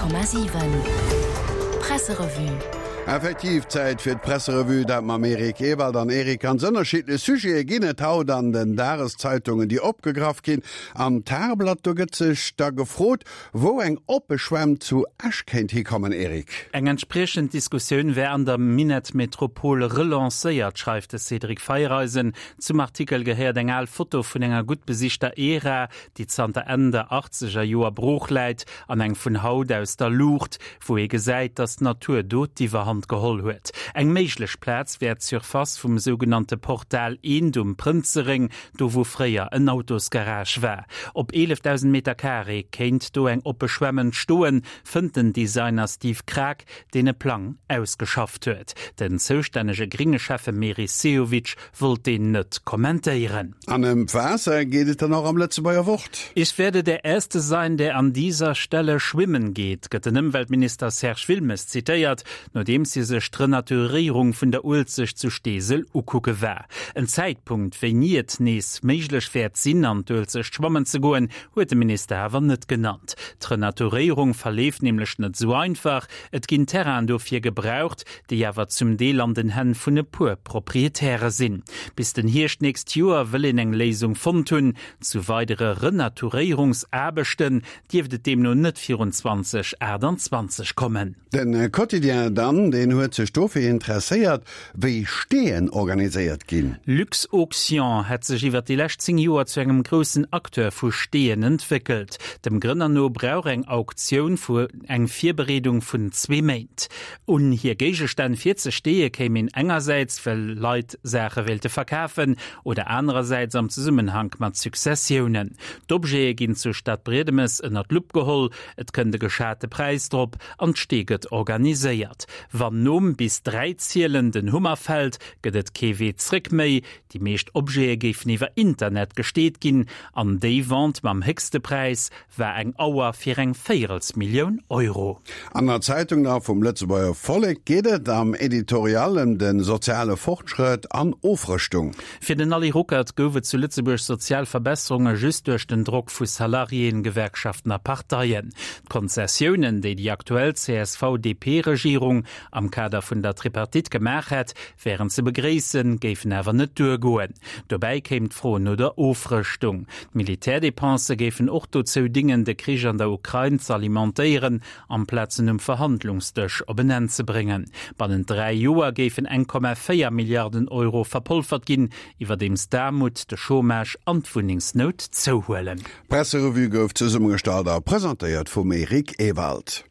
100,7 Presserevue. Effektiv, Zäit fir d'Presserevue, dat mam Eric Ewald. An Eric, ganz ënnerschiddlech Sujete ginn et haut an den Dageszeitungen, déi opgegraff ginn. Am Tageblatt, do gëtt sech da gefrot, wou eng oppe Schwämm zu Esch kéint hikommen, Eric. Eng entspriechend Diskussioun wär an der Minettmetropole relancéiert, schreift de Cédric Feiereisen. Zum Artikel gehéiert eng al Foto vun enger gutt besichter Ära, déi zanter Enn der achtzeger Joer brooch läit, an eng vun haut aus der Luucht, wou ee gesäit, datt d'Natur do d'Iwwerhand geholl huet. Eng méiglech Plaz wär d'Surface vum sougenannte Portal Eent um Prënzeréng, do wou fréier en Autosgarage war. Op 11.000 Meter Carré kéint do eng oppe Schwämm entstoen, fënnt den Designer Steve Kraak, deen e Plang ausgeschafft huet. Den zoustännege gringe Schäffe Meris Sehovic wollt deen net kommentéieren. An ëm d'Waasser geet et dann och am Lëtzebuerger Wort. Ich werde der Erste sein, der an dieser Stelle schwimmen geht, gëtt den Ëmweltminister Serge Wilmes zitéiert, nodeems hie sech d'Renaturéierung vun der Uelzecht zu Steesel ukucke war. En Zäitpunkt, wéini et nees méiglech wäert sinn, an d'Uelzecht schwammen ze goen, huet de Minister awer net genannt. D'Renaturéierung verleeft nämlech net esou einfach. Et ginn Terrainen dofir gebraucht, déi awer zum Deel an den Hänn vun e puer Proprietäre sinn. Bis den Hierscht nächst Joer wëll een eng Léisung fonnt hunn. Zu weidere Renaturéierungsaarbechten dierft et deemno net virun 2028 kommen. De Quotidien dann, deen huet sech dofir interesséiert, wéi Steeën organiséiert ginn. Luxauction hätt sech iwwer déi lescht 10 Joer zu engem groussen Acteur vu Steeën entwéckelt. Dem Grënner no brauch eng Auktioun vu eng Virbereedung vun zwee Méint. Un hir Géigestänn virzesteeë kéim een engersäits, well Leit Saache wéilte verkafen oder anerersäits am Zesummenhank mat Successiounen. D'Objete ginn zu Stadbriedemes ënner d'Lupp geholl, et kënnt e geschate Präis drop an d'Stee gëtt organiséiert. Wann nom bis 3 zielen den Hummer fält, gëtt et kee Wee zréck méi. Déi meescht Objete géifen iwwer Internet gesteet ginn an déi Vente mam héchste Präis war eng Auer fir eng Véierelsmillioun Euro. An der Zeitung da vum Lëtzebuerger Vollek geet et am Editorial ëm de soziale Fortschrëtt an Ofrëschtung. Fir den Ali Ruckert gouf et zu Lëtzebuerg sozial Verbesserunge just duerch den Drock vu Salariéen, Gewerkschaften a Parteien. D'Konzessiounen, déi déi aktuell CSV-DP-Regierung am Kader vun der Tripartite gemaach hätt, wären ze begréissen, géifen awer net duergoen. Dobäi kéim d'Fro no der Ofrëschtung. D'Militärdepensë géifen och dozou dingen, de Krich an der Ukrain z'alimentéieren, amplaz en um Verhandlungsdësch op en Enn ze bréngen. Bannent 3 Joer géifen 1,4 Milliarden Euro verpolfert ginn, iwwerdeems d'Aarmut, de Chômage an d'Wunnengsnout zouhuelen. D'Presserevue gouf zesummegestallt a presentéiert vum Eric Ewald.